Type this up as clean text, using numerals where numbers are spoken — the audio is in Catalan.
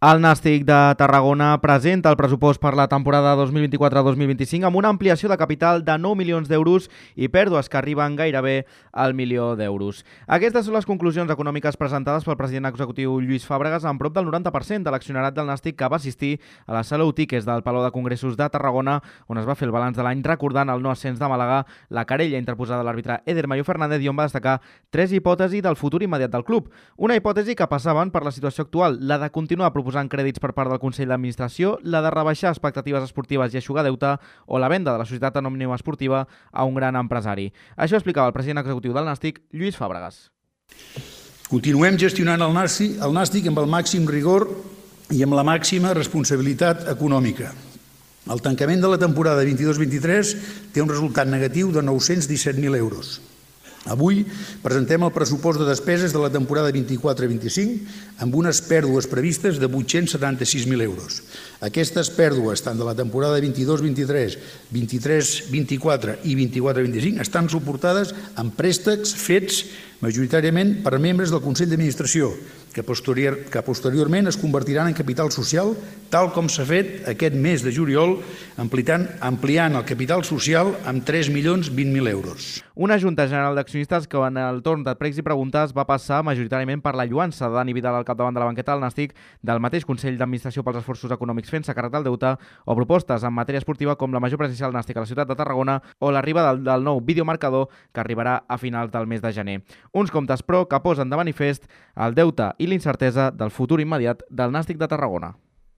El Nàstic de Tarragona presenta el pressupost per la temporada 2024-2025 amb una ampliació de capital de 9 milions d'euros i pèrdues que arriben gairebé al milió d'euros. Aquestes són les conclusions econòmiques presentades pel president executiu Lluís Fàbregas amb prop del 90% de l'accionarat del Nàstic que va assistir a la sala Utiques del Palau de Congressos de Tarragona, on es va fer el balanç de l'any recordant el no ascens de Màlaga, la querella interposada a l'àrbitre Eder Mayo Fernández i on va destacar tres hipòtesis del futur immediat del club. Una hipòtesi que passaven per la situació actual, la de continuar proposant crèdits per part del Consell d'Administració, la de rebaixar expectatives esportives i eixugar deute o la venda de la societat anònima esportiva a un gran empresari. Això explicava el president executiu del Nàstic, Lluís Fàbregas. Continuem gestionant el Nàstic amb el màxim rigor i amb la màxima responsabilitat econòmica. El tancament de la temporada 22-23 té un resultat negatiu de 917.000 euros. Avui presentem el pressupost de despeses de la temporada 24-25 amb unes pèrdues previstes de 876.000 euros. Aquestes pèrdues, tant de la temporada 22-23, 23-24 i 24-25, estan suportades amb préstecs fets majoritàriament per membres del Consell d'Administració, que posteriorment es convertiran en capital social, tal com s'ha fet aquest mes de juliol, ampliant el capital social amb 3.020.000 euros. Una Junta General d'Accionistes que en el torn de pregs i preguntes va passar majoritàriament per la lluança de Dani Vidal al capdavant de la banqueta del Nàstic, del mateix Consell d'Administració pels esforços econòmics fent-se càrrec del deute, o propostes en matèria esportiva com la major presència del Nàstic a la ciutat de Tarragona o l'arribada del nou videomarcador que arribarà a finals del mes de gener. Uns comptes, però, que posen de manifest el deute i l'incertesa del futur immediat del Nàstic de Tarragona.